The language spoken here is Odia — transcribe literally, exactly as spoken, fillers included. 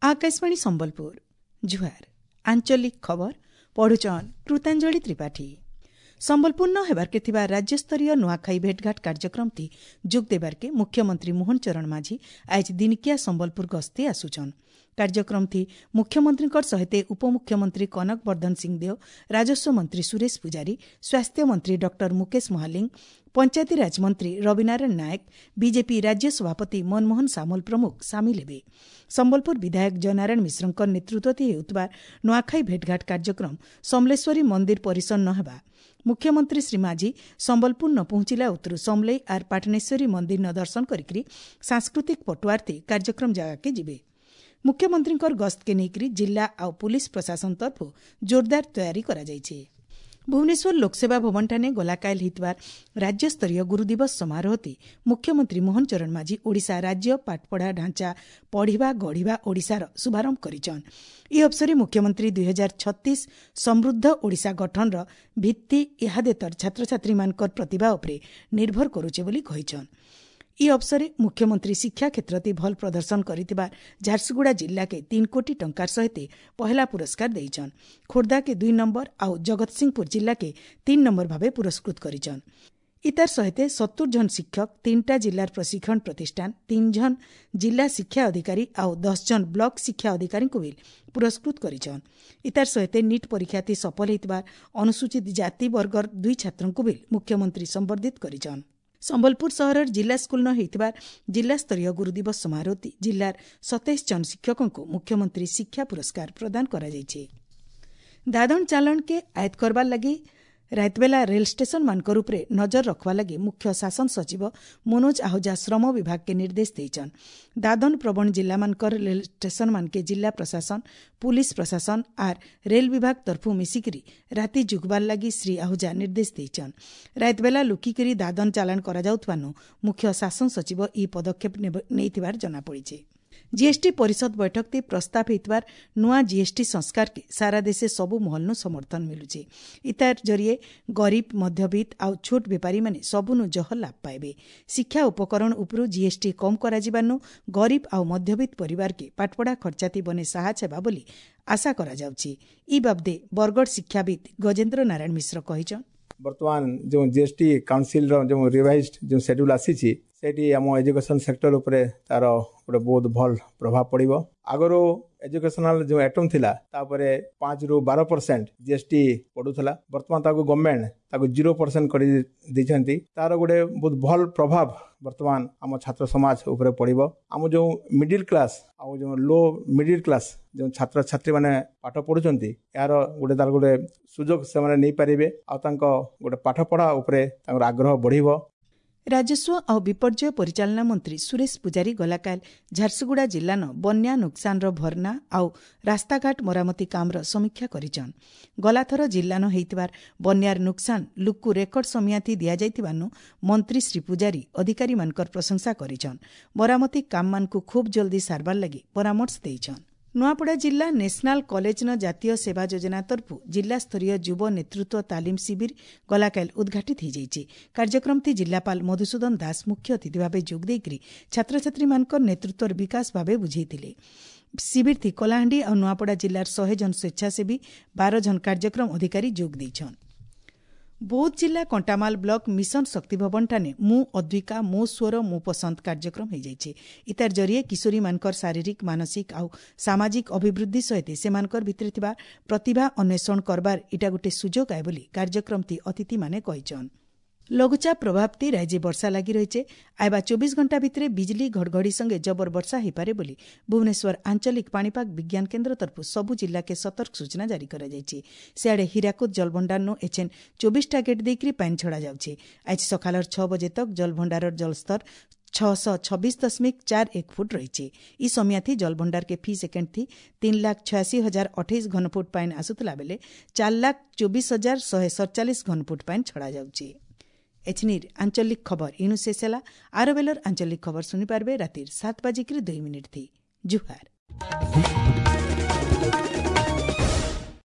ଆକାଶବାଣୀ ସମ୍ବଲପୁର ଜୁହାର ଆଞ୍ଚଳିକ ଖବର ପଢୁଛନ୍ କୃତାଞ୍ଜଳି ତ୍ରିପାଠୀ ସମ୍ବଲପୁରନ ହେବାର୍କେ ଥିବା ରାଜ୍ୟସ୍ତରୀୟ ନୂଆଖାଇ ଭେଟଘାଟ କାର୍ଯ୍ୟକ୍ରମତି ଯୋଗ ଦେବାର୍କେ ମୁଖ୍ୟମନ୍ତ୍ରୀ ମୋହନ ଚରଣ ମାଝୀ ଆଜ୍ ଦିନିକିଆ ସମ୍ବଲପୁର ଗସ୍ତେ ଆସୁଛନ୍ କାର୍ଯ୍ୟକ୍ରମଥି ମୁଖ୍ୟମନ୍ତ୍ରୀଙ୍କର ସହିତ ଉପମୁଖ୍ୟମନ୍ତ୍ରୀ କନକ ବର୍ଦ୍ଧନ ସିଂଦେଓ ରାଜସ୍ୱ ମନ୍ତ୍ରୀ ସୁରେଶ ପୂଜାରୀ ସ୍ୱାସ୍ଥ୍ୟ ମନ୍ତ୍ରୀ ଡକ୍ଟର ମୁକେଶ ମହାଲିଙ୍ଗ ପଞ୍ଚାୟତିରାଜ ମନ୍ତ୍ରୀ ରବିନାରାୟଣ ନାୟକ ବିଜେପି ରାଜ୍ୟ ସଭାପତି ମନମୋହନ ସାମଲ ପ୍ରମୁଖ ସାମିଲ ହେବେ ସମ୍ବଲପୁର ବିଧାୟକ ଜୟନାରାୟଣ ମିଶ୍ରଙ୍କ ନେତୃତ୍ୱରେ ହେଉଥିବା ନୂଆଖାଇ ଭେଟଘାଟ କାର୍ଯ୍ୟକ୍ରମ ସମଲେଶ୍ୱରୀ ମନ୍ଦିର ପରିସର ନ ହେବା ମୁଖ୍ୟମନ୍ତ୍ରୀ ଶ୍ରୀ ମାଝୀ ସମ୍ବଲପୁର ନ ପହଞ୍ଚିଲା ଉତ୍ତରୁ ସମଲେଇ ଆର୍ ପାଟନେଶ୍ୱରୀ ମନ୍ଦିର ନ ଦର୍ଶନ କରିକି ସାଂସ୍କୃତିକ ପଟୁଆରତି କାର୍ଯ୍ୟକ୍ରମ ଜାଗାକେ ଯିବେ ମୁଖ୍ୟମନ୍ତ୍ରୀଙ୍କର ଗସ୍ତକେ ନେଇକରି ଜିଲ୍ଲା ଆଉ ପୁଲିସ୍ ପ୍ରଶାସନ ତରଫରୁ ଜୋରଦାର ତୟାରୀ କରାଯାଇଛି ଭୁବନେଶ୍ୱର ଲୋକସେବା ଭବନଠାନେ ଗଲାକାଇଲ ହେଇଥିବା ରାଜ୍ୟସ୍ତରୀୟ ଗୁରୁଦିବସ ସମାରୋହତି ମୁଖ୍ୟମନ୍ତ୍ରୀ ମୋହନ ଚରଣ ମାଝୀ ଓଡ଼ିଶା ରାଜ୍ୟ ପାଠପଢ଼ା ଢାଞ୍ଚା ପଢ଼ିବା ଗଢ଼ିବା ଓଡ଼ିଶାର ଶୁଭାରମ୍ଭ କରିଛନ୍ ଏହି ଅବସରରେ ମୁଖ୍ୟମନ୍ତ୍ରୀ ଦୁଇ ହଜାର ଛତିଶ ସମୃଦ୍ଧ ଓଡ଼ିଶା ଗଠନର ଭିତ୍ତି ଇହାଦେତର ଛାତ୍ରଛାତ୍ରୀମାନଙ୍କର ପ୍ରତିଭା ଉପରେ ନିର୍ଭର କରୁଛେ ବୋଲି କହିଛନ୍ ଏହି ଅବସରରେ ମୁଖ୍ୟମନ୍ତ୍ରୀ ଶିକ୍ଷା କ୍ଷେତ୍ରରେ ଭଲ ପ୍ରଦର୍ଶନ କରିଥିବା ଝାରସୁଗୁଡ଼ା ଜିଲ୍ଲାକେ ତିନି କୋଟି ଟଙ୍କାର ସହିତ ପହେଲା ପୁରସ୍କାର ଦେଇଛନ୍ ଖୋର୍ଦ୍ଧାକେ ଦୁଇ ନମ୍ବର ଆଉ ଜଗତସିଂହପୁର ଜିଲ୍ଲାକେ ତିନି ନମ୍ବର ଭାବେ ପୁରସ୍କୃତ କରିଛନ୍ ଇତାର ସହିତ ସତୁର ଜଣ ଶିକ୍ଷକ ତିନିଟା ଜିଲ୍ଲାର ପ୍ରଶିକ୍ଷଣ ପ୍ରତିଷ୍ଠାନ ତିନି ଜଣ ଜିଲ୍ଲା ଶିକ୍ଷା ଅଧିକାରୀ ଆଉ ଦଶ ଜଣ ବ୍ଲକ ଶିକ୍ଷା ଅଧିକାରୀଙ୍କୁ ବି ପୁରସ୍କୃତ କରିଛନ୍ ଇତାର ସହିତ ନିଟ୍ ପରୀକ୍ଷାତି ସଫଳ ହୋଇଥିବା ଅନୁସୂଚିତ ଜାତି ବର୍ଗର ଦୁଇ ଛାତ୍ରଙ୍କୁ ବି ମୁଖ୍ୟମନ୍ତ୍ରୀ ସମ୍ବର୍ଦ୍ଧିତ କରିଛନ୍ ସମ୍ବଲପୁର ସହରର ଜିଲ୍ଲା ସ୍କୁଲନ ହୋଇଥିବା ଜିଲ୍ଲାସ୍ତରୀୟ ଗୁରୁଦିବସ ସମାରୋହତି ଜିଲ୍ଲାର ସତେଇଶ ଜଣ ଶିକ୍ଷକଙ୍କୁ ମୁଖ୍ୟମନ୍ତ୍ରୀ ଶିକ୍ଷା ପୁରସ୍କାର ପ୍ରଦାନ କରାଯାଇଛି ଦାଦନ ଚାଲାଣକେ ଆୟତ୍ତ କରବାର ଲାଗି ରାତିବେଲା ରେଲ ଷ୍ଟେସନମାନଙ୍କର ଉପରେ ନଜର ରଖବା ଲାଗି ମୁଖ୍ୟ ଶାସନ ସଚିବ ମନୋଜ ଆହୁଜା ଶ୍ରମ ବିଭାଗକେ ନିର୍ଦ୍ଦେଶ ଦେଇଛନ୍ ଦାଦନ ପ୍ରବଣ ଜିଲ୍ଲାମାନଙ୍କର ରେଲ ଷ୍ଟେସନମାନକେ ଜିଲ୍ଲା ପ୍ରଶାସନ ପୁଲିସ ପ୍ରଶାସନ ଆର୍ ରେଲ ବିଭାଗ ତରଫୁ ମିଶିକିରି ରାତି ଯୁଗବାର ଲାଗି ଶ୍ରୀ ଆହୁଜା ନିର୍ଦ୍ଦେଶ ଦେଇଛନ୍ ରାତିବେଲା ଲୁକିକିରି ଦାଦନ ଚାଲାଣ କରାଯାଉଥିବାନୁ ମୁଖ୍ୟ ଶାସନ ସଚିବ ଏହି ପଦକ୍ଷେପ ନେଇଥିବାର ଜଣାପଡ଼ିଛି ଜିଏସ୍ଟି ପରିଷଦ ବୈଠକରେ ପ୍ରସ୍ତାବ ହୋଇଥିବାର ନୂଆ ଜିଏସ୍ଟି ସଂସ୍କାରକେ ସାରା ଦେଶେ ସବୁ ମହଲନୁ ସମର୍ଥନ ମିଳୁଛି ଇତାର ଜରିଏ ଗରିବ ମଧ୍ୟବିତ୍ତ ଆଉ ଛୋଟ ବେପାରୀମାନେ ସବୁନୁ ଜହ ଲାଭ ପାଇବେ ଶିକ୍ଷା ଉପକରଣ ଉପରୁ ଜିଏସ୍ଟି କମ୍ କରାଯିବାନୁ ଗରିବ ଆଉ ମଧ୍ୟବିତ୍ତ ପରିବାରକେ ପାଠପଢ଼ା ଖର୍ଚ୍ଚାତି ବନେ ସାହାଯ୍ୟ ହେବା ବୋଲି ଆଶା କରାଯାଉଛି ଇ ବାବଦେ ବରଗଡ଼ ଶିକ୍ଷାବିତ୍ ଗଜେନ୍ଦ୍ର ନାରାୟଣ ମିଶ୍ର କହିଛନ୍ ବର୍ତ୍ତମାନ ଯେଉଁ ଜିଏସ୍ଟି କାଉନସିଲର ଯେଉଁ ରିଭାଇଜଡ ଯେଉଁ ସେଡ୍ୟୁଲ୍ ଆସିଛି ସେଇଠି ଆମ ଏଜୁକେସନ୍ ସେକ୍ଟର ଉପରେ ତାର ଗୋଟେ ବହୁତ ଭଲ ପ୍ରଭାବ ପଡ଼ିବ ଆଗରୁ ଏଜୁକେସନାଲ ଯେଉଁ ଆଇଟମ୍ ଥିଲା ତାପରେ ପାଞ୍ଚରୁ ବାର ପରସେଣ୍ଟ ଜିଏସ୍ଟି ପଡ଼ୁଥିଲା ବର୍ତ୍ତମାନ ତାକୁ ଗଭର୍ଣ୍ଣମେଣ୍ଟ ତାକୁ ଜିରୋ ପରସେଣ୍ଟ କରି ଦେଇଛନ୍ତି ତାର ଗୋଟେ ବହୁତ ଭଲ ପ୍ରଭାବ ବର୍ତ୍ତମାନ ଆମ ଛାତ୍ର ସମାଜ ଉପରେ ପଡ଼ିବ ଆମ ଯେଉଁ ମିଡିଲ୍ କ୍ଲାସ୍ ଆଉ ଯେଉଁ ଲୋ ମିଡିଲ୍ କ୍ଲାସ୍ ଯେଉଁ ଛାତ୍ରଛାତ୍ରୀମାନେ ପାଠ ପଢ଼ୁଛନ୍ତି ଏହାର ଗୋଟେ ତାର ଗୋଟେ ସୁଯୋଗ ସେମାନେ ନେଇପାରିବେ ଆଉ ତାଙ୍କ ଗୋଟେ ପାଠପଢ଼ା ଉପରେ ତାଙ୍କର ଆଗ୍ରହ ବଢ଼ିବ ରାଜସ୍ୱ ଆଉ ବିପର୍ଯ୍ୟୟ ପରିଚାଳନା ମନ୍ତ୍ରୀ ସୁରେଶ ପୂଜାରୀ ଗଲାକାଲ ଝାରସୁଗୁଡ଼ା ଜିଲ୍ଲାନ ବନ୍ୟା ନୁକସାନର ଭରନା ଆଉ ରାସ୍ତାଘାଟ ମରାମତି କାମର ସମୀକ୍ଷା କରିଛନ୍ ଗଲାଥର ଜିଲ୍ଲାନ ହେଇଥିବାର ବନ୍ୟାର ନୁକସାନ ଲୁକୁ ରେକର୍ଡ ସମିଆତି ଦିଆଯାଇଥିବାନୁ ମନ୍ତ୍ରୀ ଶ୍ରୀ ପୂଜାରୀ ଅଧିକାରୀମାନଙ୍କର ପ୍ରଶଂସା କରିଛନ୍ ମରାମତି କାମମାନଙ୍କୁ ଖୁବ୍ ଜଲ୍ଦି ସାରବାର ଲାଗି ପରାମର୍ଶ ଦେଇଛନ୍ ନୂଆପଡ଼ା ଜିଲ୍ଲା ନ୍ୟାସନାଲ କଲେଜନ ଜାତୀୟ ସେବା ଯୋଜନା ତରଫରୁ ଜିଲ୍ଲାସ୍ତରୀୟ ଯୁବ ନେତୃତ୍ୱ ତାଲିମ ଶିବିର ଗଲାକାଲ ଉଦ୍ଘାଟିତ ହୋଇଯାଇଛି କାର୍ଯ୍ୟକ୍ରମଟି ଜିଲ୍ଲାପାଳ ମଧୁସୂଦନ ଦାସ ମୁଖ୍ୟ ଅତିଥି ଭାବେ ଯୋଗ ଦେଇକରି ଛାତ୍ରଛାତ୍ରୀମାନଙ୍କର ନେତୃତ୍ୱର ବିକାଶ ଭାବେ ବୁଝେଇଥିଲେ ଶିବିରଥି କଳାହାଣ୍ଡି ଆଉ ନୂଆପଡ଼ା ଜିଲ୍ଲାର ଶହେ ଜଣ ସ୍ୱେଚ୍ଛାସେବୀ ବାର ଜଣ କାର୍ଯ୍ୟକ୍ରମ ଅଧିକାରୀ ଯୋଗ ଦେଇଛନ୍ ବୌଦ୍ଧ ଜିଲ୍ଲା କଣ୍ଟାମାଲ ବ୍ଲକ ମିଶନ ଶକ୍ତି ଭବନଠାନେ ମୁଁ ଅଦ୍ୱିକା ମୋ ସ୍ୱର ମୋ ପସନ୍ଦ କାର୍ଯ୍ୟକ୍ରମ ହୋଇଯାଇଛି ଇତାର ଜରିଏ କିଶୋରୀମାନଙ୍କର ଶାରୀରିକ ମାନସିକ ଆଉ ସାମାଜିକ ଅଭିବୃଦ୍ଧି ସହିତ ସେମାନଙ୍କର ଭିତରେ ଥିବା ପ୍ରତିଭା ଅନ୍ୱେଷଣ କରବାର ଇଟା ଗୋଟେ ସୁଯୋଗ ଆଏ ବୋଲି କାର୍ଯ୍ୟକ୍ରମଟି ଅତିଥିମାନେ କହିଛନ୍ ଲଘୁଚାପ ପ୍ରଭାବତି ରାଜ୍ୟ ବର୍ଷା ଲାଗି ରହିছে ଆଇବା ଚବିଶ ଘଣ୍ଟା ଭିତରେ ବିଜଲି ଘଡ଼ଘଡ଼ି ସଙ୍ଗେ ଜବର ବର୍ଷା ହୋଇପାରେ ବୋଲି ଭୁବନେଶ୍ୱର ଆଞ୍ଚଳିକ ପାଣିପାଗ ବିଜ୍ଞାନ କେନ୍ଦ୍ର ତରଫରୁ ସବୁ ଜିଲ୍ଲାକେ ସତର୍କ ସୂଚନା ଜାରି କରାଯାଇଛି ସିଆଡ଼େ ହୀରାକୁଦ ଜଳଭଣ୍ଡାରନୁ ଏଛେନ୍ ଚବିଶଟା ଗେଟ୍ ଦେଇକରି ପାଣି ଛଡ଼ାଯାଉଛି ଆଜି ସକାଳର ଛଅ ବଜେ ତକ୍ ଜଳଭଣ୍ଡାରର ଜଳସ୍ତର ଛଅଶହ ଛବିଶ ଦଶମିକ ଚାର ଏକ ଫୁଟ ରହିଛି ଇ ସମିଆଥି ଜଳଭଣ୍ଡାରକେ ଫି ସେକେଣ୍ଡ ଥି ତିନି ଲାଖ ଛୟାଅଶୀ ହଜାର ଅଠେଇଶ ଘନଫୁଟ ପାଣି ଆସୁଥିଲା ବେଲେ ଚାରି ଲାଖ ଚବିଶ ହଜାର ଶହେ ସତଚାଳିଶ ଘନଫୁଟ ପାଣି ଛଡ଼ାଯାଉଛି ଏଛନିର ଆଞ୍ଚଳିକ ଖବର ଇଣୁ ଶେଷ ହେଲା ଆର ବେଲର ଆଞ୍ଚଳିକ ଖବର ଶୁଣିପାରିବେ ରାତିର ସାତ ବାଜିକିରି ଦୁଇ ମିନିଟ୍ ଥି ଜୁହାର